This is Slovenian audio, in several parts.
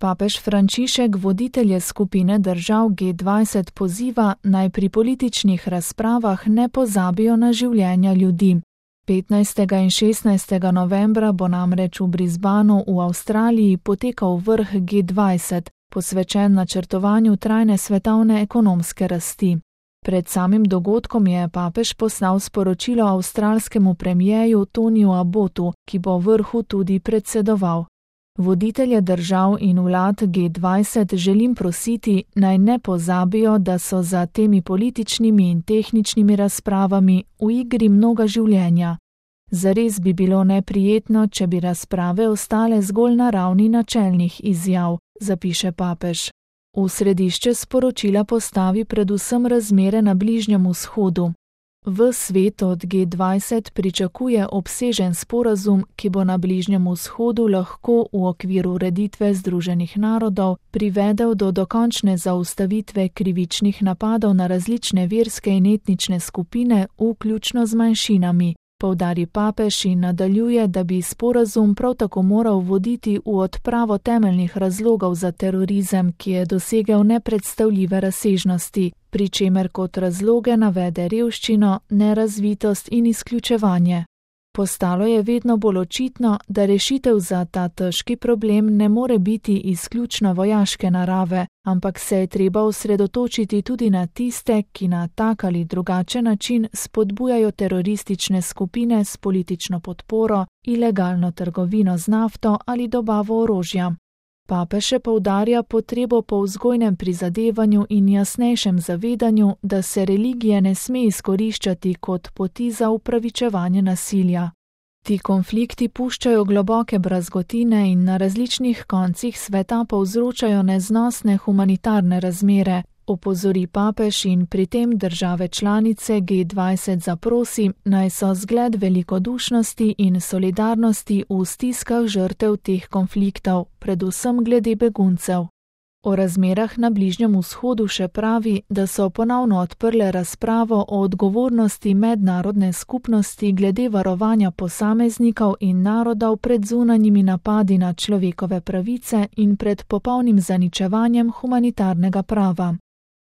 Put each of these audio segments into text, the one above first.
Papež Frančišek voditelje skupine držav G20 poziva, naj pri političnih razpravah ne pozabijo na življenja ljudi. 15. in 16. novembra bo namreč v Brisbaneu v Avstraliji potekal vrh G20, posvečen načrtovanju trajne svetovne ekonomske rasti. Pred samim dogodkom je papež poslal sporočilo avstralskemu premierju Toniju Abbotu, ki bo vrhu tudi predsedoval. Voditelje držav in vlad G20 želim prositi, naj ne pozabijo, da so za temi političnimi in tehničnimi razpravami v igri mnoga življenja. Zares bi bilo neprijetno, če bi razprave ostale zgolj na ravni načelnih izjav, zapiše papež. V središče sporočila postavi predvsem razmere na Bližnjem vzhodu. V svet od G20 pričakuje obsežen sporazum, ki bo na Bližnjem vzhodu lahko v okviru ureditve Združenih narodov privedel do dokončne zaustavitve krivičnih napadov na različne verske in etnične skupine, vključno z manjšinami, poudari papež in nadaljuje, da bi sporazum prav tako moral voditi v odpravo temeljnih razlogov za terorizem, ki je dosegel nepredstavljive razsežnosti, pri čemer kot razloge navede revščino, nerazvitost in izključevanje. Postalo je vedno bolj očitno, da rešitev za ta težki problem ne more biti izključno vojaške narave, ampak se je treba osredotočiti tudi na tiste, ki na tak ali drugačen način spodbujajo teroristične skupine s politično podporo, ilegalno trgovino z nafto ali dobavo orožja. Papež še poudarja potrebo po vzgojnem prizadevanju in jasnejšem zavedanju, da se religije ne sme izkoriščati kot poti za upravičevanje nasilja. Ti konflikti puščajo globoke brazgotine in na različnih koncih sveta povzročajo neznosne humanitarne razmere, opozori papež in pri tem države članice G20 zaprosi, naj so zgled velikodušnosti in solidarnosti v stiskah žrtev teh konfliktov, predvsem glede beguncev. O razmerah na Bližnjem vzhodu še pravi, da so ponovno odprle razpravo o odgovornosti mednarodne skupnosti glede varovanja posameznikov in narodov pred zunanjimi napadi na človekove pravice in pred popolnim zaničevanjem humanitarnega prava.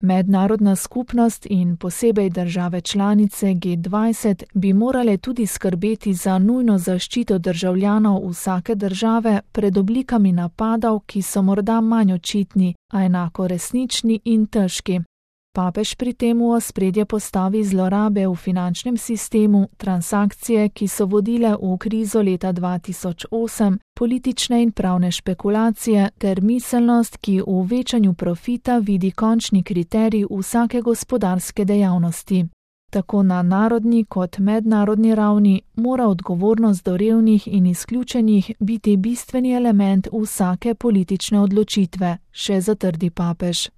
Mednarodna skupnost in posebej države članice G20 bi morale tudi skrbeti za nujno zaščito državljanov vsake države pred oblikami napadov, ki so morda manj očitni, a enako resnični in težki. Papež pri tem v ospredje postavi zlorabe v finančnem sistemu, transakcije, ki so vodile v krizo leta 2008, politične in pravne špekulacije ter miselnost, ki v večanju profita vidi končni kriterij vsake gospodarske dejavnosti. Tako na narodni kot mednarodni ravni mora odgovornost do revnih in izključenih biti bistveni element vsake politične odločitve, še zatrdi papež.